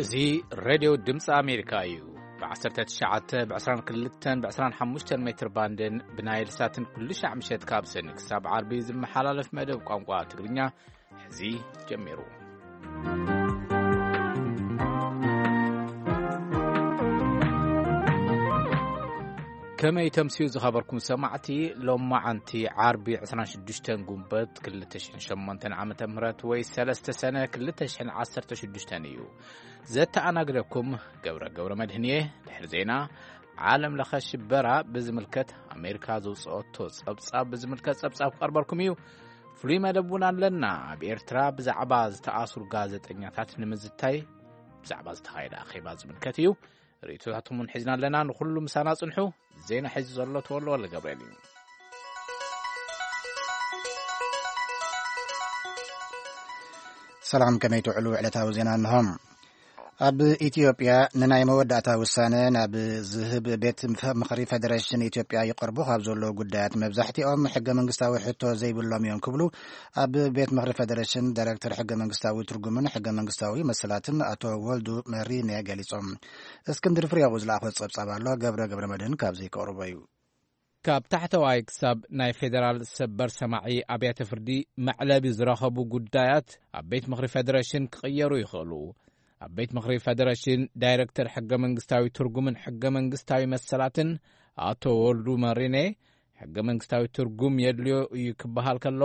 እዚ ሬድዮ ድምፂ ኣሜሪካ እዩ። ብ19፣ ብ22፣ ብ25 ሜትር ባንድን ብናይል ሳትን ኩሉ ሻዕ ምሸት ካብ ሰኒ ክሳብ ዓርቢ ዝመሓላለፍ መደብ ቋንቋ ትግርኛ ሕዚ ጀሚሩ። ከመይ ተምስዩ ዝኸበርኩም ሰማዕቲ፣ ሎማዓንቲ ዓርቢ 26 ጉንበት 2008 ዓመተ ምህረት ወይ 3 ሰነ 2016 እዩ። ዘተኣናግደኩም ገብረ ገብረ መድህን እየ። ድሕሪ ዜና ዓለም ለኸ ሽበራ ብዝምልከት ኣሜሪካ ዘውፅኦቶ ጸብጻብ ብዝምልከት ጸብጻብ ክቐርበልኩም እዩ። ፍሉይ መደብ እውን ኣለና። ኣብ ኤርትራ ብዛዕባ ዝተኣስሩ ጋዜጠኛታት ንምዝታይ ብዛዕባ ዝተኻየደ ኣኼባ ዝምልከት እዩ። ርእይቶታትኩም እውን ሒዝና ኣለና። ንኹሉ ምሳና ጽንሑ። ዜና ሒዙ ዘሎ ተወልደ ወልደገብርኤል እዩ። ሰላም፣ ከመይ ትውዕሉ? ዕለታዊ ዜና እንሆ። ኣብ ኢትዮጵያ ንናይ መወዳእታ ውሳነ ናብ ዝህብ ቤት ምኽሪ ፌደሬሽን ኢትዮጵያ ይቐርቡ ካብ ዘለዉ ጉዳያት መብዛሕትኦም ሕገ መንግስታዊ ሕቶ ዘይብሎም እዮም ክብሉ ኣብ ቤት ምኽሪ ፌደሬሽን ዳይሬክተር ሕገ መንግስታዊ ትርጉምን ሕገ መንግስታዊ መሰላትን ኣቶ ወልዱ መሪነ ገሊጾም። እስክንድር ፍሬው ዝለኣኾ ጸብጻብ ኣሎ፣ ገብረ ገብረ መድህን ካብዚ ከቕርቦ እዩ። ካብ ታሕተዋይ ክሳብ ናይ ፌደራል ሰበር ሰማዒ ኣብያተ ፍርዲ መዕለቢ ዝረኸቡ ጉዳያት ኣብ ቤት ምኽሪ ፌደሬሽን ክቕየሩ ይኽእሉ። ኣብ ቤት ምኽሪ ፌደሬሽን ዳይሬክተር ሕገ መንግስታዊ ትርጉምን ሕገ መንግስታዊ መሰላትን ኣቶ ወልዱ መሪኔ፣ ሕገ መንግስታዊ ትርጉም የድልዮ እዩ ክበሃል ከሎ፣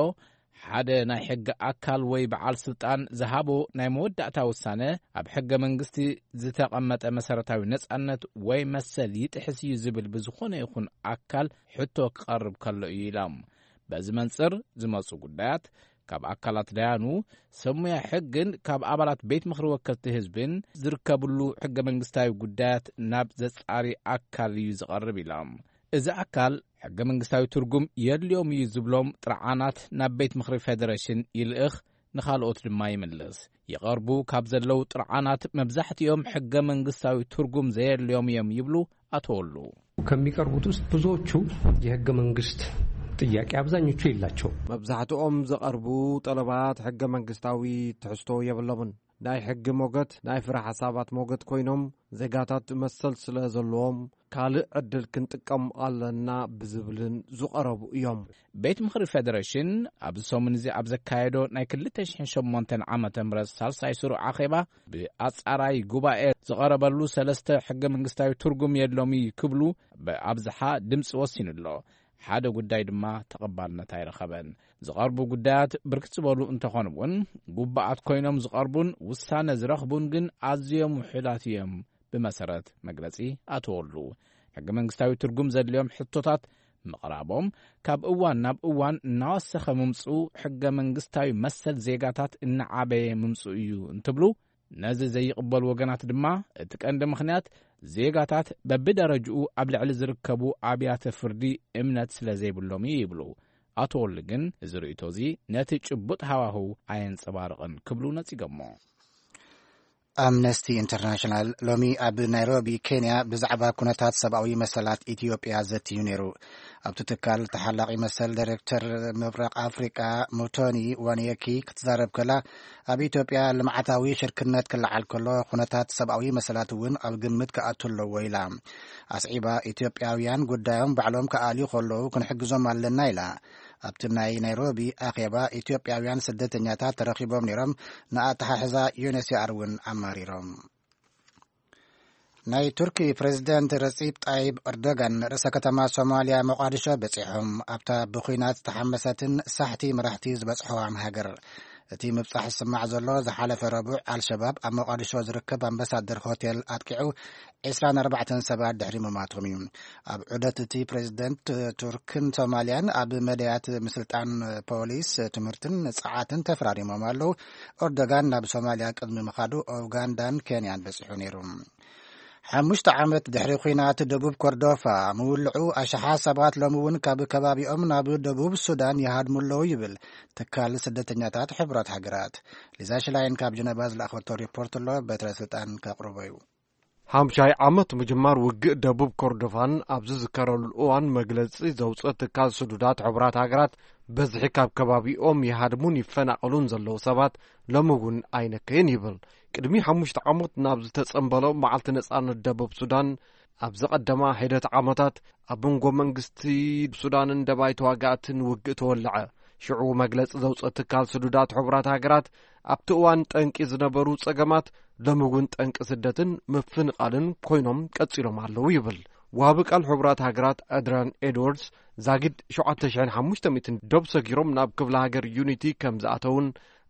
ሓደ ናይ ሕጊ ኣካል ወይ በዓል ስልጣን ዝሃቦ ናይ መወዳእታ ውሳነ ኣብ ሕገ መንግስቲ ዝተቐመጠ መሰረታዊ ነጻነት ወይ መሰል ይጥሕስ እዩ ዝብል ብዝኾነ ይኹን ኣካል ሕቶ ክቐርብ ከሎ እዩ ኢሎም። በዚ መንጽር ዝመጹ ጉዳያት ካብ ኣካላት ዳያኑ፣ ሰብ ሙያ ሕግን ካብ ኣባላት ቤት ምኽሪ ወከልቲ ህዝብን ዝርከብሉ ሕገ መንግስታዊ ጉዳያት ናብ ዘጻሪ ኣካል እዩ ዝቐርብ ኢሎም። እዚ ኣካል ሕገ መንግስታዊ ትርጉም የድልዮም እዩ ዝብሎም ጥርዓናት ናብ ቤት ምኽሪ ፌደሬሽን ይልእኽ፣ ንኻልኦት ድማ ይምልስ። ይቐርቡ ካብ ዘለዉ ጥርዓናት መብዛሕትኦም ሕገ መንግስታዊ ትርጉም ዘየድልዮም እዮም ይብሉ ኣቶ ወሉ። ከሚቀርቡት ውስጥ ብዙዎቹ የህገ መንግስት ጥያቄ አብዛኞቹ የላቸው። መብዛሕትኦም ዝቐርቡ ጠለባት ሕገ መንግስታዊ ትሕዝቶ የብሎምን። ናይ ሕጊ ሞገት፣ ናይ ፍረ ሓሳባት ሞገት ኮይኖም፣ ዜጋታት መሰል ስለ ዘለዎም፣ ካልእ ዕድል ክንጥቀም ኣለና ብዝብልን ዝቐረቡ እዮም። ቤት ምኽሪ ፌደሬሽን ኣብዚ ሰሙን እዚ ኣብ ዘካየዶ ናይ 2008 ዓመተ ምህረት ሳልሳይ ስሩዕ ኣኼባ፣ ብኣጻራይ ጉባኤ ዝቐረበሉ ሰለስተ ሕገ መንግስታዊ ትርጉም የድሎም እዩ ክብሉ ብኣብዝሓ ድምፂ ወሲኑ ኣሎ። ሓደ ጉዳይ ድማ ተቐባልነት ኣይረኸበን። ዝቐርቡ ጉዳያት ብርክት ዝበሉ እንተኾኑ እውን፣ ጉባኣት ኮይኖም ዝቐርቡን ውሳነ ዝረኽቡን ግን ኣዝዮም ውሑዳት እዮም። ብመሰረት መግለጺ ኣቶ ወሉ፣ ሕገ መንግስታዊ ትርጉም ዘድልዮም ሕቶታት ምቕራቦም ካብ እዋን ናብ እዋን እናወሰኸ ምምፅኡ ሕገ መንግስታዊ መሰል ዜጋታት እናዓበየ ምምፅኡ እዩ እንትብሉ፣ ነዚ ዘይቕበሉ ወገናት ድማ እቲ ቀንዲ ምኽንያት ዜጋታት በብደረጅኡ ኣብ ልዕሊ ዝርከቡ ኣብያተ ፍርዲ እምነት ስለ ዘይብሎም እዩ ይብሉ። ኣቶ ወሉ ግን እዚ ርእይቶ እዚ ነቲ ጭቡጥ ሃዋህው ኣየንጸባርቕን ክብሉ ነጺጎሞ። ኣምነስቲ ኢንተርናሽናል ሎሚ ኣብ ናይሮቢ ኬንያ ብዛዕባ ኩነታት ሰብኣዊ መሰላት ኢትዮጵያ ዘትዩ ነይሩ። ኣብቲ ትካል ተሓላቒ መሰል ዳይሬክተር ምብራቕ ኣፍሪቃ ሙቶኒ ዋንየኪ ክትዛረብ ከላ፣ ኣብ ኢትዮጵያ ልምዓታዊ ሽርክነት ክለዓል ከሎ ኩነታት ሰብኣዊ መሰላት እውን ኣብ ግምት ክኣቱ ኣለዎ ኢላ። ኣስዒባ፣ ኢትዮጵያውያን ጉዳዮም ባዕሎም ክኣልዩ ከለዉ ክንሕግዞም ኣለና ኢላ። ኣብቲ ናይ ናይሮቢ ኣኼባ ኢትዮጵያውያን ስደተኛታት ተረኺቦም ነይሮም፣ ንኣተሓሕዛ ዩኤንኤችሲኣር እውን ኣማሪሮም። ናይ ቱርኪ ፕሬዝደንት ረጺብ ጣይብ ኤርዶጋን ርእሰ ከተማ ሶማልያ ሞቃዲሾ በጺሖም። ኣብታ ብኹናት ዝተሓመሰትን ሳሕቲ መራሕቲ ዝበጽሖዋን ሃገር። እቲ ምብጻሕ ዝስማዕ ዘሎ ዝሓለፈ ረቡዕ ኣልሸባብ ኣብ ሞቃዲሾ ዝርከብ ኣምባሳደር ሆቴል ኣጥቂዑ 24 ሰባት ድሕሪ ምማቶም እዩ። ኣብ ዑደት እቲ ፕሬዝደንት ቱርክን ሶማልያን ኣብ መዳያት ምስልጣን ፖሊስ፣ ትምህርትን ጸዓትን ተፈራሪሞም ኣለዉ። ኤርዶጋን ናብ ሶማልያ ቅድሚ ምኻዱ ኡጋንዳን ኬንያን በጺሑ ነይሩ። ሓሙሽተ ዓመት ድሕሪ ኲናት ደቡብ ኮርዶፋ ምውልዑ፣ ኣሽሓት ሰባት ሎሚ እውን ካብ ከባቢኦም ናብ ደቡብ ሱዳን ይሃድሙ ኣለዉ ይብል ትካል ስደተኛታት ሕቡራት ሃገራት። ሊዛ ሽላይን ካብ ጀነቫ ዝለኣኸቶ ሪፖርት ኣሎ፣ በትረ ስልጣን ከቕርቦ እዩ። ሓምሻይ ዓመት ምጅማር ውግእ ደቡብ ኮርዶፋን ኣብ ዝዝከረሉ እዋን፣ መግለጺ ዘውፅኦ ትካል ስዱዳት ሕቡራት ሃገራት፣ በዝሒ ካብ ከባቢኦም ይሃድሙን ይፈናቐሉን ዘለዉ ሰባት ሎሚ እውን ኣይነከየን ይብል። ቅድሚ ሓሙሽተ ዓመት ናብ ዝተጸንበሎ መዓልቲ ነጻነት ደቡብ ሱዳን፣ ኣብ ዝቐደማ ሒደት ዓመታት ኣብ መንጎ መንግስቲ ሱዳንን ደባይ ተዋጋእትን ውግእ ተወለዐ። ሽዑ መግለጺ ዘውፅኦ ትካል ስዱዳት ሕቡራት ሃገራት፣ ኣብቲ እዋን ጠንቂ ዝነበሩ ጸገማት ሎሚ እውን ጠንቂ ስደትን ምፍንቓልን ኮይኖም ቀጺሎም ኣለዉ ይብል። ወሃቢ ቃል ሕቡራት ሃገራት ኣድራን ኤድዋርድስ፣ ዛጊድ ሸውዓተ ሽሕን ሓሙሽተ ሚእትን ዶብ ሰጊሮም ናብ ክፍለ ሃገር ዩኒቲ ከም ዝኣተውን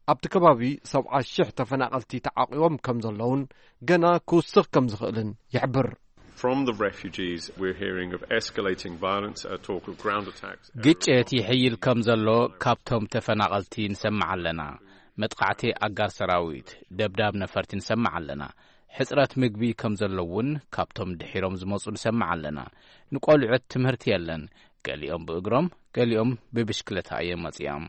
ኣብቲ ከባቢ ሰብዓ ሽሕ ተፈናቐልቲ ተዓቂቦም ከም ዘለውን ገና ክውስኽ ከም ዝኽእልን ይሕብር። From the refugees, we're hearing of escalating violence, a talk of ground attacks. ግጭት ይሕይል ከም ዘሎ ካብቶም ተፈናቐልቲ ንሰምዕ ኣለና። መጥቃዕቲ ኣጋር ሰራዊት፣ ደብዳብ ነፈርቲ ንሰምዕ ኣለና። ሕጽረት ምግቢ ከም ዘሎ እውን ካብቶም ድሒሮም ዝመጹ ንሰምዕ ኣለና። ንቆልዑት ትምህርቲ የለን። ገሊኦም ብእግሮም፣ ገሊኦም ብብሽክለታ እዮም መጺኦም።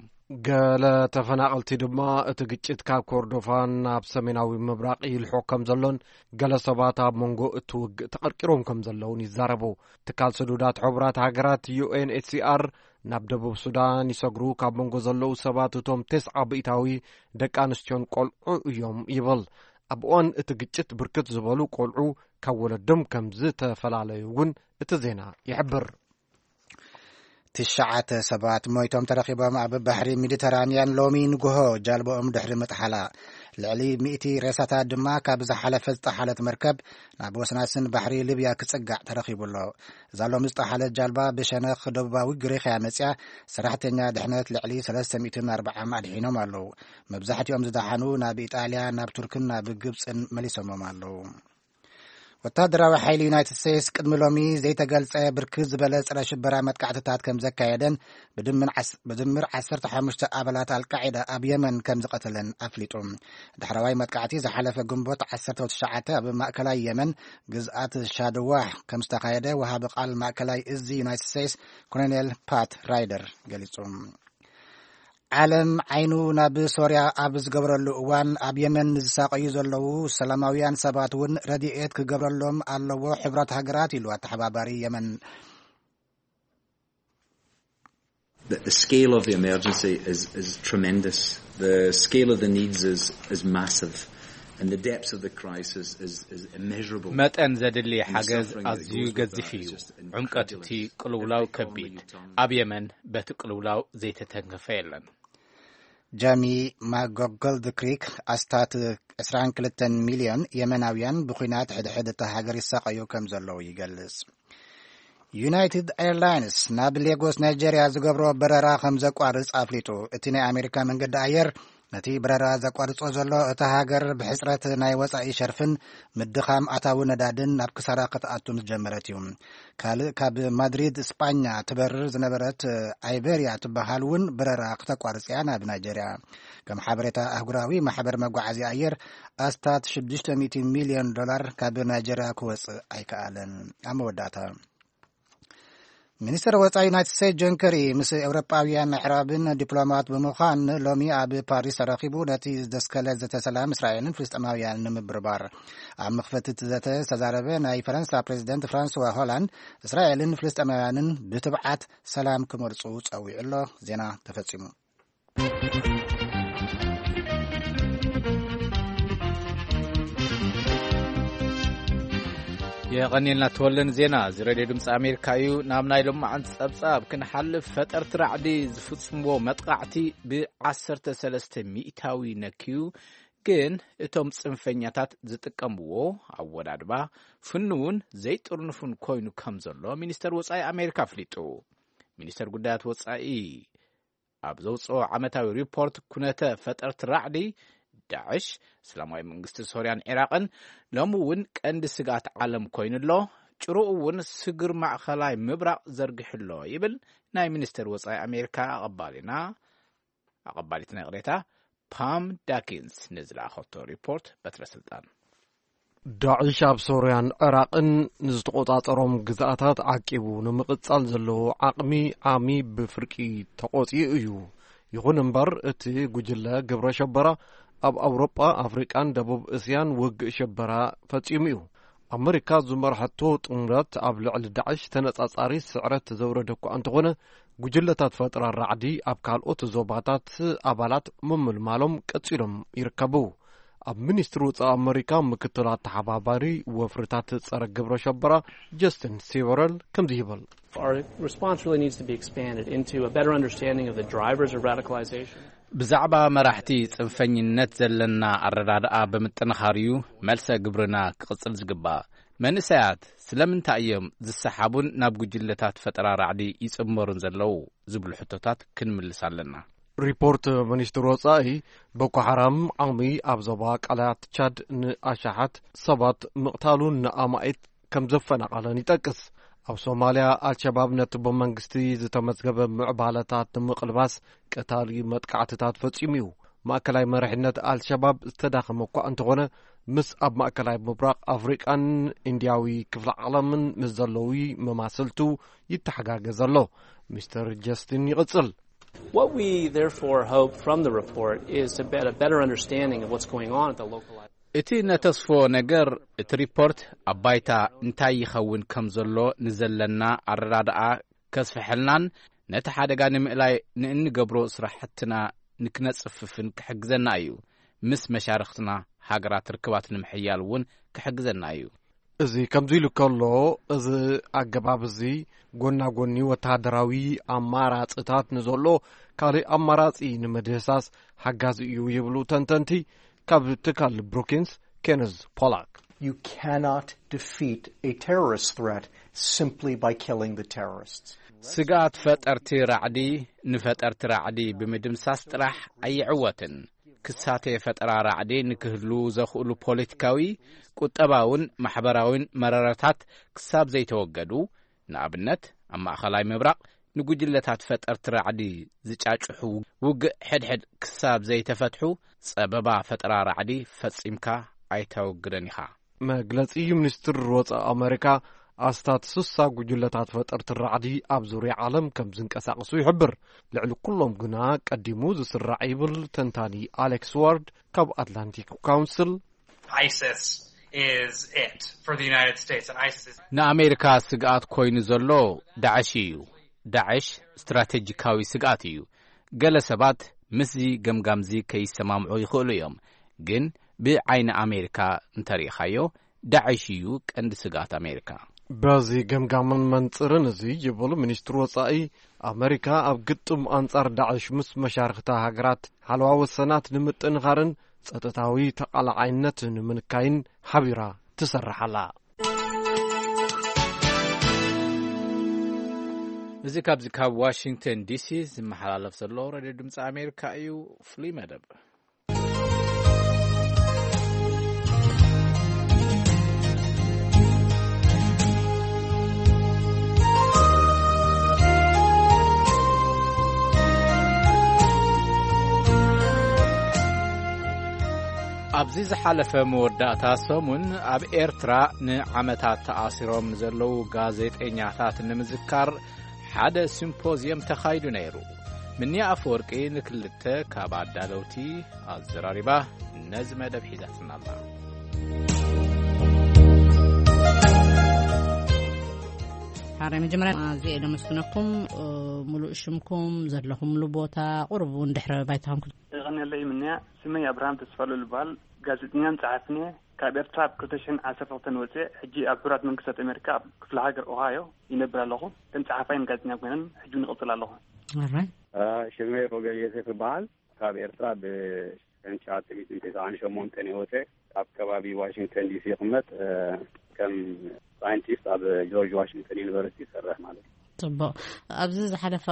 ገለ ተፈናቐልቲ ድማ እቲ ግጭት ካብ ኮርዶፋን ናብ ሰሜናዊ ምብራቕ ይልሖ ከም ዘሎን፣ ገለ ሰባት ኣብ መንጎ እቲ ውግእ ተቐርቂሮም ከም ዘለውን ይዛረቡ። ትካል ስዱዳት ሕቡራት ሃገራት ዩ ኤን ኤች ሲ ኣር፣ ናብ ደቡብ ሱዳን ይሰግሩ ካብ መንጎ ዘለዉ ሰባት እቶም ተስዓ ብኢታዊ ደቂ ኣንስትዮን ቆልዑ እዮም ይብል። ኣብ እዋን እቲ ግጭት ብርክት ዝበሉ ቆልዑ ካብ ወለዶም ከም ዝተፈላለዩ እውን እቲ ዜና ይሕብር። ትሽዓተ ሰባት ሞይቶም ተረኺቦም። ኣብ ባሕሪ ሜዲተራንያን ሎሚ ንግሆ ጃልባኦም ድሕሪ ምጥሓላ፣ ልዕሊ ሚእቲ ሬሳታት ድማ ካብ ዝሓለፈ ዝጠሓለት መርከብ ናብ ወስናስን ባሕሪ ሊብያ ክጽጋዕ ተረኺቡ ኣሎ። እዛ ሎሚ ዝጠሓለት ጃልባ ብሸነኽ ደቡባዊ ግሪኽያ መጽያ፣ ሰራሕተኛ ድሕነት ልዕሊ ሰለስተ ሚእትን ኣርባዓን ኣድሒኖም ኣለዉ። መብዛሕትኦም ዝደሓኑ ናብ ኢጣልያ፣ ናብ ቱርክን ናብ ግብጽን መሊሶሞም ኣለዉ። ወታደራዊ ሓይሊ ዩናይትድ ስቴትስ ቅድሚ ሎሚ ዘይተገልጸ ብርክት ዝበለ ጸረ ሽበራ መጥቃዕትታት ከም ዘካየደን፣ ብድምር ዓስ-፣ ብድምር ዓሰርተ ሓሙሽተ ኣባላት ኣልቃዒዳ ኣብ የመን ከም ዝቐተለን ኣፍሊጡ። ዳሕረዋይ መጥቃዕቲ ዝሓለፈ ግንቦት ዓሰርተ ትሽዓተ ኣብ ማእከላይ የመን ግዝኣት ሻድዋህ ከም ዝተኻየደ ወሃቢ ቃል ማእከላይ እዚ ዩናይትድ ስቴትስ ኮሎኔል ፓት ራይደር ገሊጹ። ዓለም ዓይኑ ናብ ሶርያ ኣብ ዝገብረሉ እዋን፣ ኣብ የመን ንዝሳቐዩ ዘለዉ ሰላማውያን ሰባት እውን ረድኤት ክገብረሎም ኣለዎ ሕብራት ሃገራት፣ ኢሉ ኣተሓባባሪ የመን። The, the scale of the emergency is, is tremendous. The scale of the needs is, is massive. And the depths of the crisis is, is immeasurable. መጠን ዘድሊ ሓገዝ ኣዝዩ ገዚፍ እዩ። ዕምቀት እቲ ቅልውላው ከቢድ። ኣብ የመን በቲ ቅልውላው ዘይተተንከፈ የለን። ጃሚ ማጎጎልድ ክሪክ፣ ኣስታት ዕስራን ክልተን ሚልዮን የመናውያን ብኲናት ሕድሕድ እታ ሃገር ይሳቐዩ ከም ዘለዉ ይገልጽ። ዩናይትድ ኤርላይንስ ናብ ሌጎስ ናይጀርያ ዝገብሮ በረራ ከም ዘቋርጽ ኣፍሊጡ። እቲ ናይ ኣሜሪካ መንገዲ ኣየር ነቲ በረራ ዘቋርጾ ዘሎ፣ እታ ሃገር ብሕጽረት ናይ ወጻኢ ሸርፍን ምድኻም ኣታዊ ነዳድን ናብ ክሳራ ክትኣቱ ምስ ጀመረት እዩ። ካልእ ካብ ማድሪድ ስጳኛ ትበርር ዝነበረት ኣይበርያ ትበሃል እውን በረራ ክተቋርጽ እያ ናብ ናይጀርያ። ከም ሓበሬታ ኣህጉራዊ ማሕበር መጓዓዝያ ኣየር፣ ኣስታት ሽዱሽተ ሚእቲ ሚልዮን ዶላር ካብ ናይጀርያ ክወጽእ ኣይከኣለን። ኣብ መወዳእታ፣ ሚኒስትር ወጻኢ ዩናይትድ ስቴትስ ጆን ከሪ ምስ ኤውሮጳውያን ኣዕራብን ዲፕሎማት ብምዃን ሎሚ ኣብ ፓሪስ ተረኺቡ፣ ነቲ ዝደስከለ ዘተ ሰላም እስራኤልን ፍልስጤማውያንን ንምብርባር። ኣብ መኽፈቲ እቲ ዘተ ዝተዛረበ ናይ ፈረንሳ ፕሬዚደንት ፍራንስዋ ሆላንድ፣ እስራኤልን ፍልስጤማውያንን ብትብዓት ሰላም ክመርጹ ጸዊዑ ኣሎ። ዜና ተፈጺሙ። የቐንየልና ተወልደ ንዜና። እዚ ሬድዮ ድምፂ ኣሜሪካ እዩ። ናብ ናይ ሎማዓንቲ ጸብጻብ ክንሓልፍ፣ ፈጠርቲ ራዕዲ ዝፍጽምዎ መጥቃዕቲ ብዓሰርተ ሰለስተ ሚእታዊ ነክዩ፣ ግን እቶም ጽንፈኛታት ዝጥቀምዎ ኣወዳድባ ፍኑውን ዘይጥርንፉን ኮይኑ ከም ዘሎ ሚኒስተር ወጻኢ ኣሜሪካ ኣፍሊጡ። ሚኒስተር ጉዳያት ወጻኢ ኣብ ዘውፅኦ ዓመታዊ ሪፖርት፣ ኩነተ ፈጠርቲ ራዕዲ ዳዕሽ፣ እስላማዊ መንግስቲ ሶርያን ዒራቕን ሎሚ እውን ቀንዲ ስግኣት ዓለም ኮይኑ ኣሎ። ጭሩኡ እውን ስግር ማእኸላይ ምብራቕ ዘርጊሑ ኣሎ ይብል ናይ ሚኒስተር ወፃኢ ኣሜሪካ ኣቐባሊና፣ ኣቐባሊትና ይቕሬታ፣ ፓም ዳኪንስ ንዝለኣኸቶ ሪፖርት በትረ ስልጣን። ዳዕሽ ኣብ ሶርያን ዕራቕን ንዝተቖጻጸሮም ግዝኣታት ዓቂቡ ንምቕጻል ዘለዎ ዓቕሚ ዓሚ ብፍርቂ ተቖጺኡ እዩ። ይኹን እምበር፣ እቲ ጉጅለ ግብረ ሸበራ ኣብ ኣውሮጳ፣ ኣፍሪቃን ደቡብ እስያን ውግእ ሸበራ ፈጺሙ እዩ። ኣመሪካ ዝመርሐቶ ጥምረት ኣብ ልዕሊ ዳዕሽ ተነጻጻሪ ስዕረት ዘውረደ እኳ እንተኾነ፣ ጉጅለታት ፈጠራ ራዕዲ ኣብ ካልኦት ዞባታት ኣባላት ምምልማሎም ቀጺሎም ይርከቡ። ኣብ ሚኒስትሪ ወጻኢ ኣመሪካ ምክትል ኣተሓባባሪ ወፍርታት ጸረ ግብረ ሸበራ ጀስቲን ሲቨረል ከምዚ ይብል። Our response really needs to be expanded into a better understanding of the drivers of radicalization. ብዛዕባ መራሕቲ ጽንፈኝነት ዘለና ኣረዳድኣ ብምጥንኻር እዩ መልሰ ግብርና ክቕጽል ዝግባእ። መንእሰያት ስለምንታይ እዮም ዝሰሓቡን ናብ ጉጅለታት ፈጠራ ራዕዲ ይጽመሩን ዘለዉ ዝብሉ ሕቶታት ክንምልስ ኣለና። ሪፖርት ሚኒስትሪ ወጻኢ፣ ቦኮ ሓራም ዓሚ ኣብ ዞባ ቃላት ቻድ ንኣሽሓት ሰባት ምቕታሉን ንኣማኢት ከም ዘፈናቐለን ይጠቅስ። ኣብ ሶማልያ፣ ኣልሸባብ ነቲ ብመንግስቲ ዝተመዝገበ ምዕባለታት ንምቕልባስ ቀታሊ መጥቃዕትታት ፈጺሙ እዩ። ማእከላይ መሪሕነት ኣልሸባብ ዝተዳኸመ እኳ እንተኾነ፣ ምስ ኣብ ማእከላይ ምብራቕ ኣፍሪቃን ኢንድያዊ ክፍለ ዓለምን ምስ ዘለዉ መማስልቱ ይተሓጋገዝ ኣሎ። ሚስተር ጀስቲን ይቕጽል። What we therefore hope from the report is to get a better understanding of what's going on at the local level. እቲ ነተስፎ ነገር፣ እቲ ሪፖርት ኣብ ባይታ እንታይ ይኸውን ከም ዘሎ ንዘለና ኣረዳድኣ ከስፍሐልናን ነቲ ሓደጋ ንምእላይ ንእንገብሮ ስራሕትና ንክነጽፍፍን ክሕግዘና እዩ። ምስ መሻርኽትና ሃገራት ርክባት ንምሕያል እውን ክሕግዘና እዩ። እዚ ከምዚ ኢሉ ከሎ፣ እዚ ኣገባብ እዚ ጎና ጎኒ ወተሃደራዊ ኣማራጽታት ንዘሎ ካልእ ኣማራጺ ንምድህሳስ ሓጋዚ እዩ ይብሉ ተንተንቲ። ካብ ትካል ብሩኪንስ፣ ኬነዝ ፖላክ። You cannot defeat a terrorist threat simply by killing the terrorists. ስግኣት ፈጠርቲ ራዕዲ ንፈጠርቲ ራዕዲ ብምድምሳስ ጥራሕ ኣይዕወትን። ክሳቴ ፈጠራ ራዕዲ ንክህሉ ዘኽእሉ ፖለቲካዊ፣ ቁጠባውን ማሕበራውን መረረታት ክሳብ ዘይተወገዱ፣ ንኣብነት ኣብ ማእኸላይ ምብራቕ ንጉጅለታት ፈጠርቲ ራዕዲ ዝጫጭሑ ውግእ ሕድሕድ ክሳብ ዘይተፈትሑ፣ ጸበባ ፈጠራ ራዕዲ ፈጺምካ ኣይተወግደን ኢኻ። መግለጺ ሚኒስትሪ ወጻኢ ኣመሪካ፣ ኣስታት ስሳ ጉጅለታት ፈጠርቲ ራዕዲ ኣብ ዙርያ ዓለም ከም ዝንቀሳቐሱ ይሕብር። ልዕሊ ኩሎም ግና ቀዲሙ ዝስራዕ ይብል ተንታኒ ኣሌክስ ዋርድ ካብ ኣትላንቲክ ካውንስል። ISIS is it for the United States, and ISIS is ንኣሜሪካ ስግኣት ኮይኑ ዘሎ ዳዕሽ እዩ። ዳዕሽ ስትራቴጂካዊ ስግኣት እዩ። ገለ ሰባት ምስዚ ገምጋምዚ ከይሰማምዑ ይኽእሉ እዮም፣ ግን ብዓይኒ ኣሜሪካ እንተሪኢኻዮ፣ ዳዕሽ እዩ ቀንዲ ስግኣት ኣሜሪካ። በዚ ገምጋምን መንጽርን እዚ ይብል ሚኒስትሪ ወጻኢ፣ ኣመሪካ ኣብ ግጥም ኣንጻር ዳዕሽ ምስ መሻርኽታ ሃገራት ሓለዋ ወሰናት ንምጥንኻርን ጸጥታዊ ተቓላዓይነት ንምንካይን ሓቢራ ትሰርሕ ኣላ። እዚ ካብዚ ካብ ዋሽንግተን ዲሲ ዝመሓላለፍ ዘሎ ሬድዮ ድምፂ ኣሜሪካ እዩ። ፍሉይ መደብ። ኣብዚ ዝሓለፈ መወዳእታ ሰሙን ኣብ ኤርትራ ንዓመታት ተኣሲሮም ዘለዉ ጋዜጠኛታት ንምዝካር ሓደ ሲምፖዝየም ተኻይዱ ነይሩ። ምንያ ኣፈወርቂ ንክልተ ካብ ኣዳለውቲ ኣዘራሪባ ነዚ መደብ ሒዛትና ኣላ። ሓራይ መጀመርያ ኣዝየ እየ ደመስግነኩም። እ፣ ሙሉእ ሽምኩም፣ ዘለኹምሉ ቦታ፣ ቁሩብ እውን ድሕረ ባይታኹም ክት- የቐንየለይ ምንያ። ስመይ ኣብርሃም ተስፋሉል ይበሃል። ጋዜጠኛን ጸሓፍን እየ። ካብ ኤርትራ ኣብ ክልተ ሽሕን ዓሰርተ ክልተን ወጽየ፣ ሕጂ ኣብ ሕቡራት መንግስታት ኣሜሪካ ኣብ ክፍለ ሃገር ኦሃዮ ይነብር ኣለኹ። ከም ጸሓፋይን ጋዜጠኛ ኮይነን ሕጂ እውን ይቕጽል ኣለኹ። ኣራይ። እ፣ ሽመይ ሮቤል ዮሴፍ ይበሃል። ካብ ኤርትራ ብሽሕን ትሽዓተ ሚእትን ተስዓን ሸሞንተን እየ ወጽየ። ኣብ ከባቢ ዋሽንግተን ዲሲ ይቕመጥ። እ፣ ከም ሳይንቲስት ኣብ ጆርጅ ዋሽንግተን ዩኒቨርሲቲ ይሰርሕ ማለት እዩ። ጽቡቕ። ኣብዚ ዝሓለፈ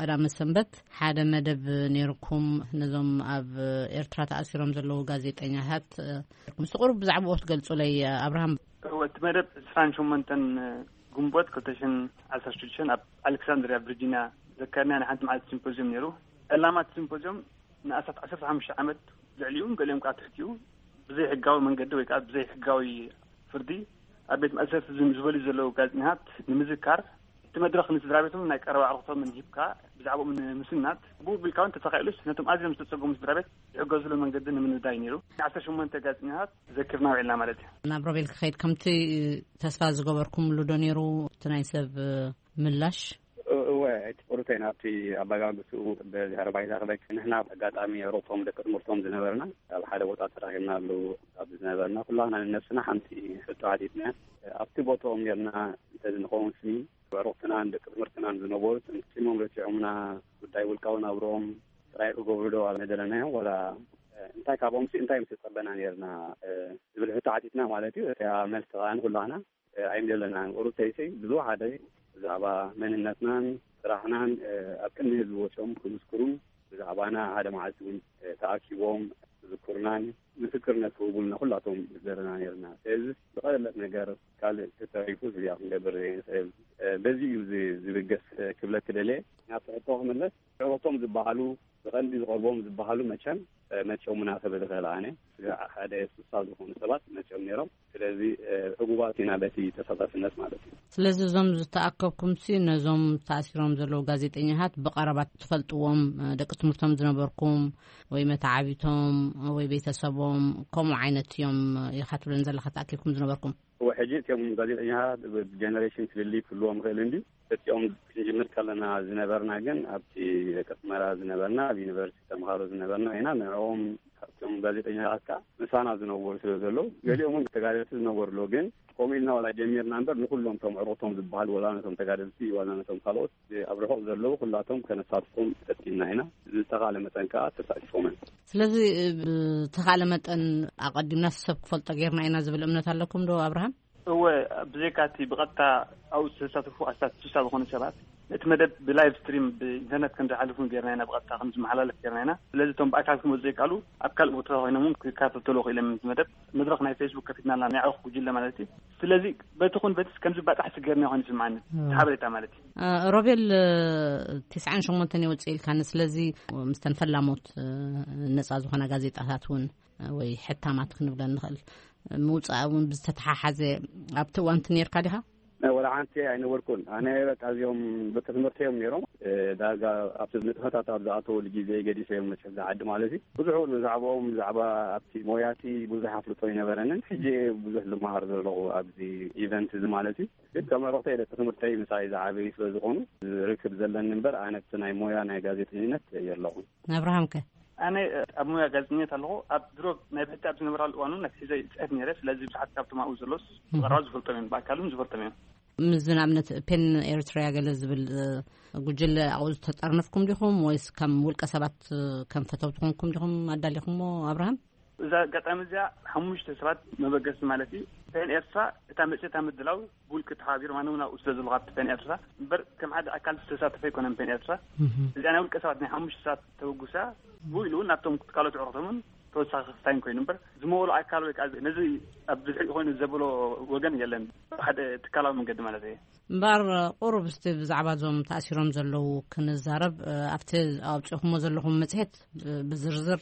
ቀዳመ ሰንበት ሓደ መደብ ነይርኩም፣ ነዞም ኣብ ኤርትራ ተኣሲሮም ዘለዉ ጋዜጠኛታት፣ እ፣ ምስ ቁሩብ ብዛዕባኡ ክትገልጹለይ፣ ኣብርሃም። እወ፣ እቲ መደብ ዕስራን ሸሞንተን ግንቦት ክልተ ሽሕን ዓሰርተ ሽዱሽተን ኣብ ኣሌክሳንድሪያ ቪርጂንያ ዘካየድናዮ ናይ ሓንቲ መዓልቲ ሲምፖዝዮም ነይሩ። ዕላማ እቲ ሲምፖዝዮም ንኣስታት ዓሰርተ ሓሙሽተ ዓመት ልዕሊኡ፣ ገሊኦም ከዓ ትሕቲኡ፣ ብዘይሕጋዊ መንገዲ ወይ ከዓ ብዘይሕጋዊ ፍርዲ ኣብ ቤት ማእሰርቲ ዝም-፣ ዝበልዩ ዘለዉ ጋዜጠኛታት ንምዝካር፣ እቲ መድረኽ ንስድራ ቤቶም ናይ ቀረባ ኣዕሩኽቶምን ሂብካ ብዛዕባኦም ንምስናት፣ ብኡ ቢልካ እውን ተተኻኢሉስ ነቶም ኣዝዮም ዝተጸገሙ ስድራ ቤት ዝሕገዝሉ መንገዲ ንምንዳይ ነይሩ። ዓሰርተ ሸሞንተ ጋዜጠኛታት ዘኪርና ውዒልና ማለት እዩ። ናብ ሮቤል ክኸይድ፣ ከምቲ ተስፋ ዝገበርኩምሉ ዶ ነይሩ እቲ ናይ ሰብ ምላሽ? እወ፣ እቲ ቁሩተይ ናብቲ ኣበጋግስኡ ብድሕሪ ባይታ ክበኪ፣ ንሕና ኣጋጣሚ ሮቶም ደቂ ትምህርቶም ዝነበርና ኣብ ሓደ ቦታ ተራኺብናሉ ኣብ ዝነበርና፣ ኩላና ንነብስና ሓንቲ ሕቶ ሓቲትና። ኣብቲ ቦታኦም ኔርና እንተዝንኸውን ስኒ ኣዕሩኽትናን ደቂ ትምህርትናን ዝነበሩ፣ ስሞም ረሲዖምና፣ ጉዳይ ውልቃዊ ናብርኦም ጥራይ ክገብሩ ዶ ኣብ ምደለናዮም፣ ዋላ እንታይ ካብኦም ሲ እንታይ ምስ ጸበና ኔርና ዝብል ሕቶ ሓቲትና ማለት እዩ። እቲኣ መልሲ ከኣ ንኹላና ኣይምደለናን። ቁሩተይሲ ብዙሕ ሓደ ብዛዕባ መንነትናን ስራሕናን ኣብ ቅድሚ ህዝቢ ወጺኦም ክምስክሩን ብዛዕባና ሓደ መዓልቲ እውን ተኣኪቦም ክዝክሩናን ምስክርነት ክህቡልና ኩላቶም ዘለና ኔርና። ስለዚ ዝቐለለት ነገር ካልእ ተተሪፉ እዚኣ ክንገብር ዘይንኽእል። በዚ እዩ ዝ-፣ ዝብገስ ክብለኪ ደልየ። ናብቲ ሕቶ ክምለስ፣ ዕሮቶም ዝበሃሉ ብቐንዲ ዝቐርቦም ዝበሃሉ መቸም መቸሙና ክብል እኽእል ኣነ። ሓደ ሱሳ ዝኾኑ ሰባት መቸም ነይሮም። ስለዚ ዕጉባት ኢና በቲ ተሳታፍነት ማለት እዩ። ስለዚ እዞም ዝተኣከብኩምሲ ነዞም ተኣሲሮም ዘለዉ ጋዜጠኛታት ብቐረባ ትፈልጥዎም፣ ደቂ ትምህርቶም ዝነበርኩም ወይ መተዓቢቶም ወይ ቤተሰቦም ከምኡ ዓይነት እዮም ኢኻ ትብለን ዘለኻ ተኣኪብኩም ዝነበርኩም? እወ፣ ሕጂ እቲኦም ጋዜጠኛታት ጀነሬሽን ፍልልይ ክህልዎም ይኽእል እንድዩ። እቲኦም ክንጅምር ከለና ዝነበርና ግን ኣብቲ ደቂ ኣስመራ ዝነበርና፣ ኣብ ዩኒቨርሲቲ ተምሃሮ ዝነበርና ኢና። ንዕኦም ካብቶም ጋዜጠኛታት ከኣ ምሳና ዝነበሩ ስለ ዘለዉ፣ ገሊኦም እውን ተጋደልቲ ዝነበሩ ኣለዉ። ግን ከምኡ ኢልና ዋላ ጀሚርና እምበር፣ ንኹሎም እቶም ዕሮቶም ዝበሃሉ፣ ዋላ ነቶም ተጋደልቲ፣ ዋላ ነቶም ካልኦት ኣብ ርሑቕ ዘለዉ፣ ኩላቶም ከነሳትፎም ፈቲንና ኢና። ዝተኻለ መጠን ከኣ ተሳቲፎምን። ስለዚ፣ ብተኻለ መጠን ኣቐዲምና ሰብ ክፈልጦ ጌርና ኢና ዝብል እምነት ኣለኩም ዶ ኣብርሃም? እወ፣ ብዘይካ እቲ ብቐጥታ ኣብኡ ዝተሳተፉ ኣስታት ስሳ ዝኾኑ ሰባት፣ ነቲ መደብ ብላይቭ ስትሪም ብኢንተርነት ከም ዝሓልፉን ጌርና ኢና፣ ብቐጥታ ከም ዝመሓላለፍ ጌርና ኢና። ስለዚ እቶም ብኣካል ክመጹ ዘይከኣሉ፣ ኣብ ካልእ ቦታ ኮይኖም እውን ክከታተሉ ክኢሎም፣ ነቲ መደብ መድረኽ ናይ ፌስቡክ ከፊትናልና፣ ናይ ዕሩኽ ጉጅለ ማለት እዩ። ስለዚ በቲ ኹን በቲ ከምዚ ባጣሕሲ ጌርና ኮይኑ ይስምዓኒ፣ እወ። እቲ ሓበሬታ ማለት እዩ። እ፣ ሮቤል፣ እ፣ ትስዓን ሸሞንተን ይወጽእ ኢልካኒ። ስለዚ ምስተን ፈላሞት፣ እ፣ ነጻ ዝኾና ጋዜጣታት እውን፣ እ፣ ወይ ሕታማት ክንብለን ንኽእል፣ ምውጻእ እውን ብዝተተሓሓዘ ኣብቲ እዋንቲ ነርካ ዲኻ? ናይ ወላ ሓንቲ ኣይነበርኩን። ኣነ በቃ እዚኦም ደቂ ትምህርቲ እዮም ነይሮም። እ፣ ዳርጋ ኣብቲ ንጥፈታት ኣብ ዝኣተወሉ ግዜ ገዲፈ እዮም መቸም ዝዓዲ ማለት እዩ። ብዙሕ እውን ብዛዕባኦም፣ ብዛዕባ ኣብቲ ሞያቲ ብዙሕ ኣፍልጦ ኣይነበረንን። ሕጂ ብዙሕ ዝመሃር ዘለኹ ኣብዚ ኢቨንት እዚ ማለት እዩ። ግን ከም ኣዕሩኽተይ ደቂ ትምህርተይ ምሳይ ዝዓበዩ ስለ ዝኾኑ ርክብ ዘለኒ እምበር፣ ኣነ ኣብቲ ናይ ሞያ ናይ ጋዜጠኝነት የለኹን። ኣብርሃም ከ? ኣነ ኣብ ሞያ ጋዜጠኝነት ኣለኹ። ኣብ ድሮ ናይ ብሕቲ ኣብ ዝነበራሉ እዋን እውን ናይ ሒዘ ይጽሕፍ ነይረ። ስለዚ ብዙሓት ካብቶም ኣብኡ ዘሎስ እህ። ብቐረባ ዝፈልጦም እዮም፣ ብኣካል እውን ዝፈልጦም እዮም። ምስ ንኣብነት ፔን ኤርትርያ ገለ ዝብል፣ እ፣ ጉጅለ ኣብኡ ዝተጠርነፍኩም ዲኹም ወይስ ከም ውልቀ ሰባት፣ እ፣ ከም ፈተውቲ ኮንኩም ዲኹም ኣዳሊኹሞ ኣብርሃም? እዛ ኣጋጣሚ እዚኣ ሓሙሽተ ሰባት መበገሲ ማለት እዩ። ፔን ኤርትራ እታ መጽሔታ ምድላው ብውልቂ ተሓባቢሮም፣ ኣነ እውን ኣብኡ ስለ ዘለኹ ኣብቲ ፔን ኤርትራ እምበር ከም ሓደ ኣካል ዝተሳተፈ ኣይኮነን ፔን ኤርትራ። እህ። እዚኣ ናይ ውልቀ ሰባት ናይ ሓሙሽተ ሰባት ተበጉሳ ብኡ ኢሉ እውን ናብቶም ካልኦት ኣዕሩኽቶምን ተወሳኺ ክስታይን ኮይኑ እምበር ዝመወሎ ኣካል ወይ ከዓ ነዚ ኣብ ብድሕሪኡ ኮይኑ ዘበሎ ወገን የለን። ሓደ ትካላዊ መንገዲ ማለት እየ። እምበኣር ቁሩብ እስቲ ብዛዕባ እዞም ተኣሲሮም ዘለዉ ክንዛረብ፣ እ፣ ኣብቲ ኣውፂእኹሞ ዘለኹም መፅሄት ብ-፣ ብዝርዝር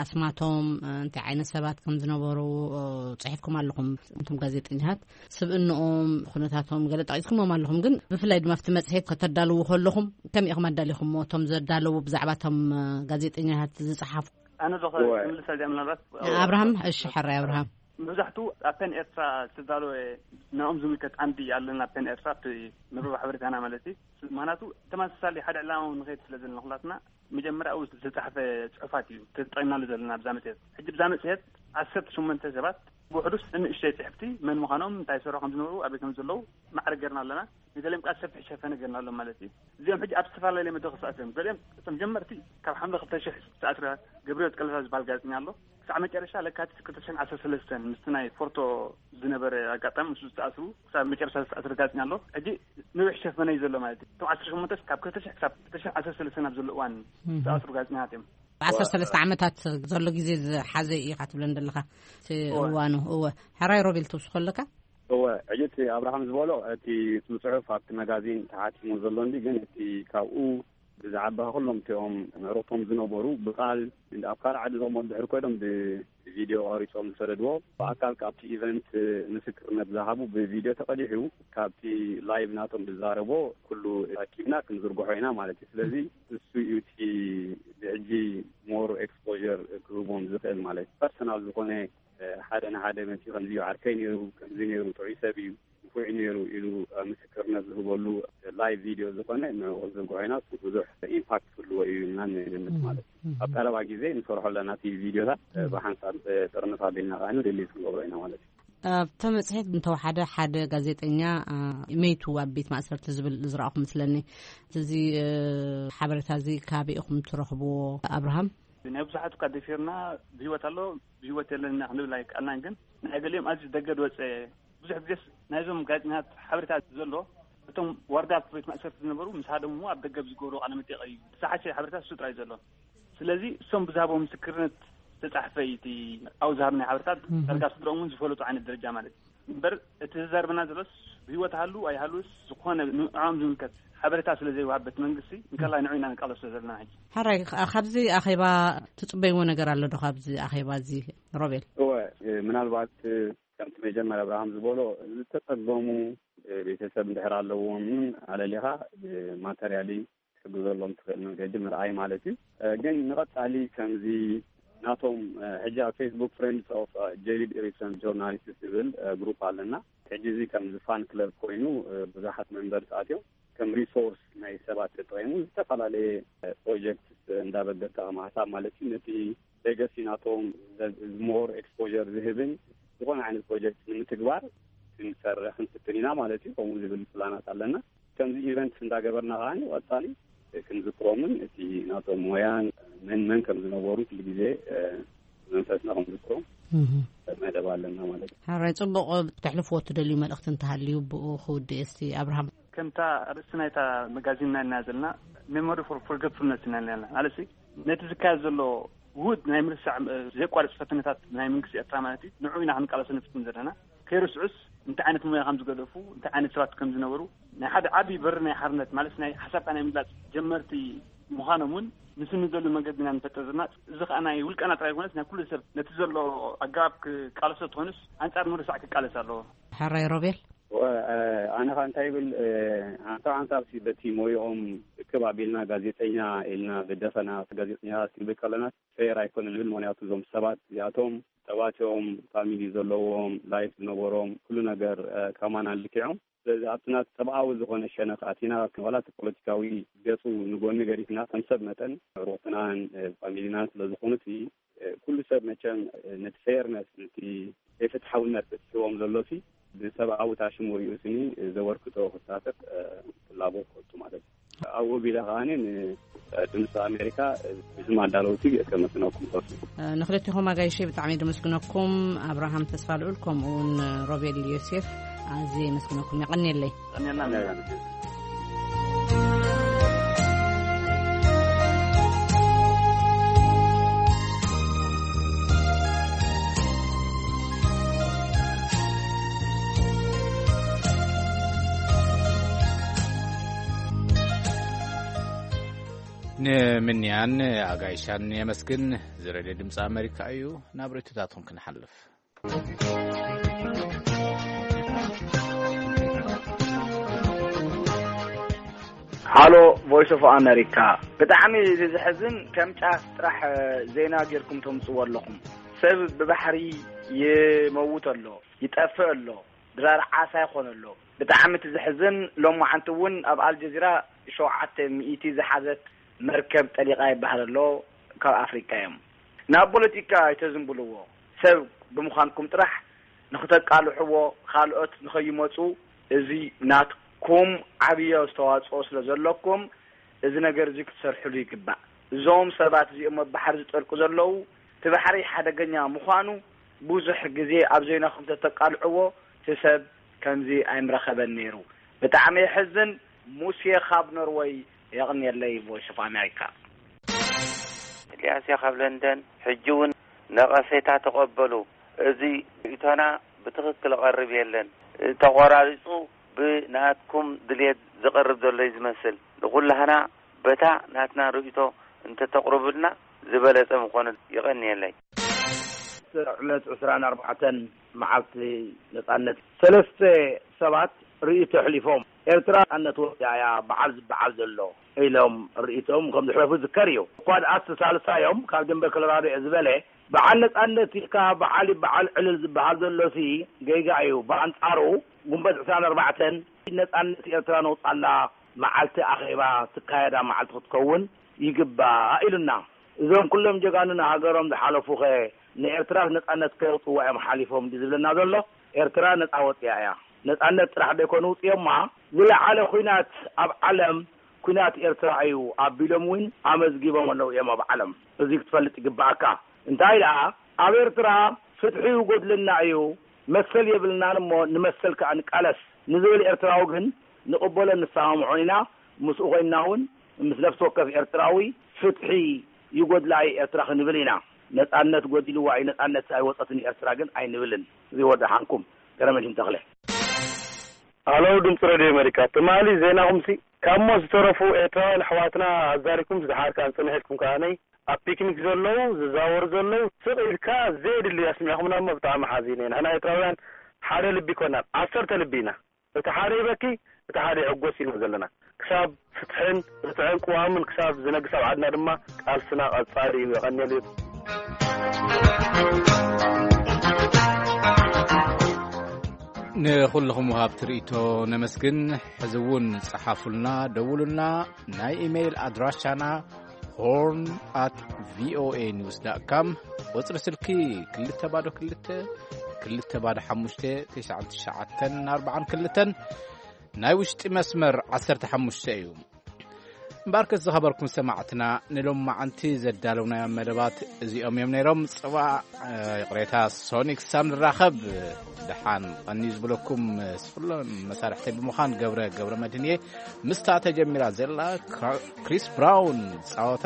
ኣስማቶም፣ እ፣ እንታይ ዓይነት ሰባት ከም ዝነበሩ፣ እ፣ ፅሒፍኩም ኣለኹም። እቶም ጋዜጠኛታት ስብእንኦም፣ ኩነታቶም ገለ ጠቒስኩሞም ኣለኹም። ግን ብፍላይ ድማ ኣብቲ መፅሄት ከተዳልዉ ከለኹም ከመይ ኢኹም ኣዳሊኹሞ? እቶም ዘዳለዉ ብዛዕባ እቶም፣ እ፣ ጋዜጠኛታት ዝፀሓፉ? ኣነ ዶ እወ። ክምልሳ እዚኣ ምናልባት? ኣብርሃም፣ እሺ፣ ሕራይ ኣብርሃም። መብዛሕትኡ ኣብ ፔን ኤርትራ ዝተዳለወ ንዕኦም ዝምልከት ዓምዲ ኣለና፣ ፔን ኤርትራ፣ ኣብቲ መርበብ ሓበሬታና ማለት እዩ። ምኽንያቱ ተመሳሳሊ ሓደ ዕላማ እውን ንኸይድ ስለ ዘለና ኩላትና፣ መጀመርያ ኣብኡ ዝተጻሕፈ ጽሑፋት እዩ ተጠቒምናሉ ዘለና ኣብዛ መጽሔት። ሕጂ ብዛ መጽሔት ዓሰርተ ሸሞንተ ሰባት ብውሕዱስ ንእሽተይ ጽሕፍቲ መን ምዃኖም፣ እንታይ ይሰርሑ ከም ዝነበሩ፣ ኣበይ ከም ዘለዉ ማዕረ ጌርና ኣለና። ንገሊኦም ከኣ ሰፊሕ ሸፈነ ጌርናሎም ማለት እዩ። እዚኦም ሕጂ ኣብ ዝተፈላለየ መድረኽ ዝተኣስሩ እዮም። ገሊኦም እቶም ጀመርቲ ካብ ሓምለ ክልተ ሽሕ ዝተኣስረ ገብረህይወት ቀለታ ዝበሃል ጋዜጠኛ ኣሎ። ክሳዕ መጨረሻ ለካቲት ክልተ ሽሕን ዓሰርተ ሰለስተን ምስቲ ናይ ፎርቶ ዝነበረ ኣጋጣሚ ምስኡ ዝተኣስሩ ክሳብ መጨረሻ ዝተኣስረ ጋዜጠኛ ኣሎ። ሕጂ ነዊሕ ሸፈነ እዩ ዘሎ ማለት እዩ። እቶም ዓሰርተ ሸሞንተ ካብ ክልተ ሽሕ ክሳብ ክልተ ሽሕን ዓሰርተ ሰለስተን ኣብ ዘሎ እዋን እህ። ዝተኣስሩ ጋዜጠኛታት እዮም። ዓሰርተ ሰለስተ ዓመታት ዘሎ ግዜ ዝሓዘ እዩ ኢኻ ትብለን ዘለኻ እቲ እወ። እዋኑ። እወ። ሕራይ ሮቤል ትውስኾ ኣለካ? እወ፣ ሕጂ እቲ ኣብርሃም ዝበሎ፣ እቲ ስም ጽሑፍ ኣብቲ መጋዚን ተሓቲሙ ዘሎ እንዲ፣ ግን እቲ ካብኡ ብዛዕባ ኩሎም እቲኦም ምዕሩቶም ዝነበሩ ብቃል ኣብ ካልእ ዓዲ ዘቕመጡ ድሕሪ ኮይኖም ብቪድዮ ቀሪጾም ዝሰደድዎ፣ ብኣካል ካብቲ ኢቨንት ምስክርነት ዝሃቡ ብቪድዮ ተቐዲሑ ካብቲ ላይቭ ናቶም ዝዛረቦ ኩሉ ኣኪብና ክንዝርግሖ ኢና ማለት እዩ። ስለዚ እሱ እዩ እቲ ብሕጂ ሞር ኤክስፖር ክህቦም ዝኽእል ማለት እዩ። ፐርሰናል ዝኾነ ሓደ ንሓደ መፂኡ ከምዚ እዩ ዓርከይ ነይሩ፣ ከምዚ ነይሩ፣ ጥዑይ ሰብ እዩ፣ ንፉዕ እዩ ነይሩ ኢሉ ምስክርነት ዝህበሉ ላይቭ ቪድዮ ዝኾነ ንዕኡ ክንዝርግሖ ኢና። እሱ ብዙሕ ኢምፓክት ክህልዎ እዩ ኢልና ንግምት ማለት እዩ። ኣብ ቀረባ ግዜ ንሰርሖ ኣለና እቲ ቪድዮታት፣ ብሓንሳብ ጥርንፍ ኣቢልና ከዓ ሪሊዝ ክንገብሮ ኢና ማለት እዩ። ኣብቲ መፅሄት እንተወሓደ ሓደ ጋዜጠኛ መይቱ ኣብ ቤት ማእሰርቲ ዝብል ዝረኣኹ ምስለኒ። እዚ ሓበሬታ እዚ ካበይ ኢኹም ትረኽብዎ ኣብርሃም? ናይ ብዙሓት እኳ ደፊርና ብህይወት ኣሎ ብህይወት የለን ኢና ክንብል ኣይከኣልናን። ግን ናይ ገሊኦም ኣዝዩ ደገ ዝወፀ፣ ብዙሕ ግዜስ ናይዞም ጋዜጠኛታት ሓበሬታ ዘሎ፣ እቶም ዋርድያ ቤት ማእሰርቲ ዝነበሩ ምስ ሃደሙ ኣብ ደገ ዝገብሩ ቃለ መጠይቕ እዩ። ዝሓሸ ሓበሬታ እሱ ጥራይ ዘሎ። ስለዚ እሶም ብዝሃቦም ምስክርነት ዝተጻሕፈ እዩ እቲ ኣብኡ ዝሃብናዮ ሓበሬታት። ዳርጋ ስድሮም እውን ዝፈለጡ ዓይነት ደረጃ ማለት እዩ። እምበር እቲ ዝዛረበና ዘሎስ ብህይወት ሃሉ ኣይሃሉስ ዝኾነ ንዕኦም ዝምልከት ሓበሬታ ስለ ዘይወሃብ በቲ መንግስቲ፣ እንከላይ ንዑ ኢና ንቃለሶ ዘለና ሕጂ። ሕራይ፣ ካ- ካብዚ ኣኼባ ትጽበይዎ ነገር ኣሎ ዶ? ካብዚ ኣኼባ እዚ ሮቤል? እወ፣ ምናልባት ከምቲ መጀመርያ ኣብርሃም ዝበሎ ዝተጸገሙ ቤተሰብ እንድሕር ኣለዎም ኣለሊኻ ማተርያሊ ክትሕግዘሎም ትኽእል መንገዲ ምርኣይ ማለት እዩ። ግን ንቐጻሊ ከምዚ ናቶም ሕጂ ኣብ ፌስቡክ ፍሬንድስ ኦፍ ጄሪድ ኢሪሰን ጆርናሊስት ዝብል ግሩፕ ኣለና። ሕጂ እዚ ከምዚ ፋን ክለብ ኮይኑ ብዙሓት መንበርስ ኣትዮም ከም ሪሶርስ ናይ ሰባት ተጠቂሙ ዝተፈላለየ ፕሮጀክት እንዳበገስካ ከም ሓሳብ ማለት እዩ ነቲ ሌጋሲ ናቶም ሞር ኤክስፖር ዝህብን ዝኾነ ዓይነት ፕሮጀክት ንምትግባር ክንሰርሕ ክንፍትን ኢና ማለት እዩ። ከምኡ ዝብል ፕላናት ኣለና። ከምዚ ኢቨንት እንዳገበርና ከዓኒ ቀጻሊ ክንዝክሮምን እቲ ናቶም ሞያን መን መን ከም ዝነበሩ ኩሉ ግዜ መንፈስና ክንዝክሮም መደብ ኣለና ማለት እዩ። ሕራይ፣ ጽቡቕ። ተሕልፍዎ ትደልዩ መልእኽቲ እንተሃልዩ ብኡ ክውድእ እስቲ ኣብርሃም። ከምታ ኣርእስቲ ናይታ መጋዚንና ኢና ዘለና፣ ሜሞሪ ፎር ፎርጌትፉልነስ ኢና ዘለና። ማለት ነቲ ዝካየድ ዘሎ ውሁድ ናይ ምርሳዕ ዘየቋርጽ ፈተነታት ናይ መንግስቲ ኤርትራ ማለት እዩ፣ ንዑ ኢና ክንቃለሶ ንፍትን ዘለና። ከይርስዑስ እንታይ ዓይነት ሞያ ከም ዝገደፉ፣ እንታይ ዓይነት ሰባት ከም ዝነበሩ፣ ናይ ሓደ ዓቢ በሪ ናይ ሓርነት ማለት ናይ ሓሳብካ ናይ ምግላጽ ጀመርቲ ምዃኖም እውን ምስ ንደሉ መንገዲ ኢና ንፈጥር ዘለና። እዚ ከኣ ናይ ውልቀና ጥራይ ይኮነስ ናይ ኩሉ ሰብ ነቲ ዘሎ ኣገባብ ክቃለሶ ትኾንስ ኣንጻር ምርሳዕ ክቃለስ ኣለዎ። ሕራይ ሮቤል። ኣነ ካ እንታይ ይብል፣ ሓንሳብ ሓንሳብ ሲ በቲ ሞይኦም ክብ ኣቢልና ጋዜጠኛ ኢልና ብደፈና ጋዜጠኛታት ክንብል ከለና ፌር ኣይኮነን ይብል። ምክንያቱ እዞም ሰባት እዚኣቶም ሰባት እዮም፣ ፋሚሊ ዘለዎም፣ ላይፍ ዝነበሮም፣ ኩሉ ነገር ከማና ልክዖም። ስለዚ ኣብቲ ናት ሰብኣዊ ዝኾነ ሸነኽ ኣቲና ዋላ እቲ ፖለቲካዊ ገፁ ንጎኒ ገዲፍና ከም ሰብ መጠን ዕሩኽትናን ፋሚሊናን ስለዝኾኑ እቲ ኩሉ ሰብ መቸም ነቲ ፌርነስ ነቲ ዘይፍትሓውነት እትስዎም ዘሎ ሲ ብሰብኣዊ ታሽሙ ሪኡ ስኒ ዘበርክቶ ክሳተፍ ፍላጎት ከቱ ማለት እዩ። ኣብኡ ቢለ ከዓኒ ንድምፂ ኣሜሪካ ብስም ኣዳለውቲ ከመስግነኩም ፈቱ። ንክልቲኹም ኣጋይሸይ ብጣዕሚ ደመስግነኩም። ኣብርሃም ተስፋ ልዑል ከምኡ እውን ሮቤል ዮሴፍ ኣዝየ የመስግነኩም። የቐንየለይ። ቀንየና። ንምንያን ኣጋይሻን የመስግን። ዝረድዮ ድምፂ ኣሜሪካ እዩ። ናብ ርእይቶታትኩም ክንሓልፍ። ሃሎ ቮይስ ኦፍ ኣሜሪካ፣ ብጣዕሚ እዩ ዘሕዝን። ከም ጫፍ ጥራሕ ዜና ጌርኩም ተምፅዎ ኣለኹም። ሰብ ብባሕሪ ይመውት ኣሎ፣ ይጠፍእ ኣሎ፣ ድራር ዓሳ ይኾን ኣሎ። ብጣዕሚ እቲ ዘሕዝን ሎማዓንቲ እውን ኣብ ኣልጀዚራ ሸውዓተ ሚእቲ ዝሓዘት መርከብ ጠሊቓ ይበሃል ኣሎ። ካብ ኣፍሪቃ እዮም። ናብ ፖለቲካ ኣይተዝንብልዎ። ሰብ ብምዃንኩም ጥራሕ ንኽተቃልሕዎ፣ ካልኦት ንኸይመፁ፣ እዚ ናትኩም ዓብዪ ኣስተዋፅኦ ስለ ዘለኩም፣ እዚ ነገር እዚ ክትሰርሕሉ ይግባእ። እዞም ሰባት እዚኦም ኣብ ባሕሪ ዝጠልቁ ዘለዉ፣ እቲ ባሕሪ ሓደገኛ ምዃኑ ብዙሕ ግዜ ኣብ ዜናኹም ተተቃልዕዎ፣ እቲ ሰብ ከምዚ ኣይምረኸበን ነይሩ። ብጣዕሚ የሕዝን። ሙሴ ካብ ኖርወይ፣ የቕንየለይ፣ ቮይስ ኦፍ ኣሜሪካ። ኤልያስያ ካብ ለንደን፣ ሕጂ እውን ነቐፌታ ተቐበሉ። እዚ ርእይቶና ብትኽክል ቐርብ የለን። ተቖራሪጹ ብናትኩም ድልየት ዝቐርብ ዘሎ እዩ ዝመስል። ንኹላህና በታ ናትና ርእይቶ እንተተቕርቡልና ዝበለጸ ምኾነ። ይቐንየለይ። ዕለት ዕስራን ኣርባዕተን መዓልቲ ነጻነት፣ ሰለስተ ሰባት ርእይቶ ኣሕሊፎም፣ ኤርትራ ነጻነት ወዲኣ እያ በዓል ዝበዓል ዘሎ ኢሎም ርእይቶም ከም ዘሕለፉ ዝዝከር እዩ። እኳ ደኣስ ሳልሳዮም ካብ ደንበር ኮሎራዶ እየ ዝበለ፣ በዓል ነጻነት ኢልካ በዓል ይበዓል ዕልል ዝበሃል ዘሎሲ ጌጋ እዩ። ብኣንጻሩ፣ ጉንበት ዕስራን ኣርባዕተን ነጻነት ኤርትራ ነውጻላ መዓልቲ ኣኼባ ትካየዳ መዓልቲ ክትከውን ይግባእ ኢሉና። እዞም ኩሎም ጀጋኑና ሃገሮም ዝሓለፉኸ ንኤርትራ ነጻነት ከየውጽዋ እዮም ሓሊፎም ድዩ ዝብለና ዘሎ? ኤርትራ ነጻ ወጺኣ እያ። ነጻነት ጥራሕ ደይኮኑ ውጽኦማ፣ ዝለዓለ ኲናት ኣብ ዓለም ኲናት ኤርትራ እዩ ኣቢሎም እውን ኣመዝጊቦም ኣለዉ እዮም ኣብ ዓለም። እዚ ክትፈልጥ ይግባኣካ። እንታይ ደኣ፣ ኣብ ኤርትራ ፍትሒ ይጎድለና እዩ፣ መሰል የብልናን እሞ ንመሰል ከኣ ንቃለስ ንዝብል ኤርትራዊ ግን ንቕበሎን ንሰማምዖን ኢና። ምስኡ ኮይንና እውን ምስ ነፍሲ ወከፍ ኤርትራዊ ፍትሒ ይጎድላ እዩ ኤርትራ ክንብል ኢና። ነጻነት ጎዲልዋ እዩ፣ ነጻነት ኣይወጸትን ኤርትራ ግን ኣይንብልን። እዚ ወደ ሓንኩም ገረመሽን ተኽለ። ኣለው ድምፂ ሬድዮ ኣሜሪካ፣ ትማሊ ዜናኹምሲ ካብ ሞት ዝተረፉ ኤርትራውያን ኣሕዋትና ኣዛሪኩም ዝደሓርካን ጽንሕ ኢልኩም ከዓነይ ኣብ ፒክኒክ ዘለዉ ዝዛወሩ ዘለዉ ስቕ ኢልካ ዘየድሊ ኣስሚዕኹምና እሞ ብጣዕሚ ሓዚነ። ንሕና ኤርትራውያን ሓደ ልቢ ይኮናል፣ ዓሰርተ ልቢ ኢና። እቲ ሓደ ይበኪ፣ እቲ ሓደ ይዕጎስ ኢና ዘለና። ክሳብ ፍትሕን ርትዕን ቅዋምን ክሳብ ዝነግስ ኣብ ዓድና ድማ ቃልስና ቀጻሊ እዩ። የቐንየሉ። ንኹልኹም ወሃብቲ ርእይቶ ነመስግን። ሕዚ እውን ጸሓፉልና፣ ደውሉልና። ናይ ኢሜይል ኣድራሻና ሆርን ኣት ቪኦኤ ኒውስ ዳት ካም፣ ቁጽሪ ስልኪ ክልተ ባዶ ክልተ፣ ክልተ ባዶ ሓሙሽተ፣ ትሽዓን ትሽዓተን ኣርባዓን ክልተን፣ ናይ ውሽጢ መስመር ዓሰርተ ሓሙሽተ እዩ። እምበኣርከስ ዝኸበርኩም ሰማዕትና፣ ንሎማዓንቲ ዘዳለውናዮም መደባት እዚኦም እዮም ነይሮም። ጽባሕ፣ እ፣ ይቕሬታ፣ ሶኒክ ሳም ንራኸብ። ደሓን ቀንዩ ዝብለኩም፣ እ፣ ስፍሎም መሳርሕተይ ብምዃን ገብረ፣ ገብረ መድህን እየ። ምስታ ተጀሚራ ዘላ ክራ-፣ ክሪስ ብራውን ጻወታ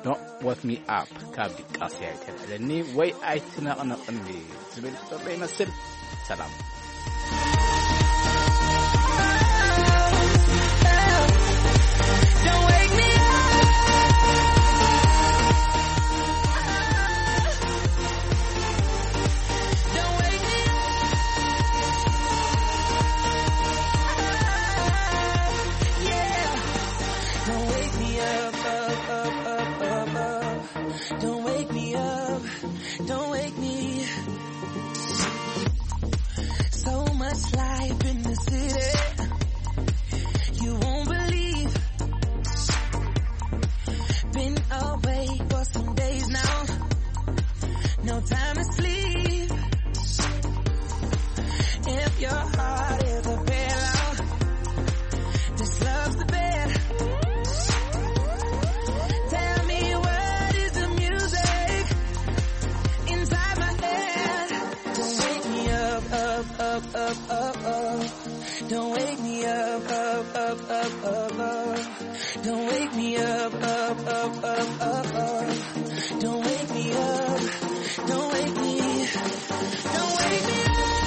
ዶንት ዌክ ሚ ኣፕ ካብ ዲቃስያ ይተልዕለኒ ወይ ኣይትነቕንቕኒ ዝብል ዘሎ ይመስል። ሰላም። Don't wake me up. Don't wake me up. Yeah. Don't wake me up, up, up, up, up, up. Don't wake me up. Don't wake me. So much life in the city. You won't believe. Been awake for some days now. No time to sleep. If your heart is a pillow, this love's the bed. Tell me what is the music inside my head. Don't wake me up, up, up, up, up, up. Don't wake me up, up, up, up, up, up. Don't wake me up, up, up, up, up, up. Don't wake me up. Don't wake me. Don't wake me up.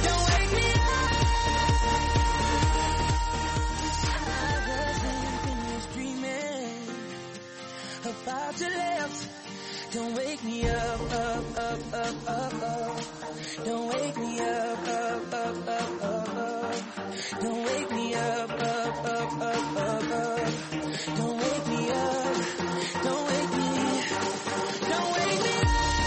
Don't wake me up. I wasn't finished dreaming about your lips. Don't wake me up, up, up, up, up, up. Don't wake me up, up, up, up, up, up. Don't wake me up, up, up, up, up, up. Don't wake me up. Don't wake me. Don't wake me up.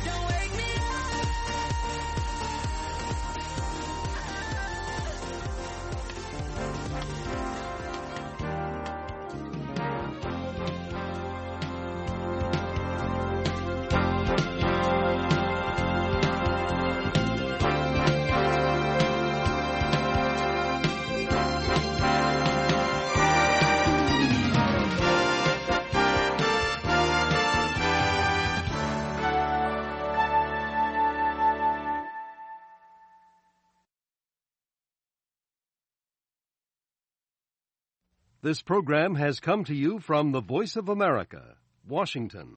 Don't wake me up. This program has come to you from the Voice of America, Washington.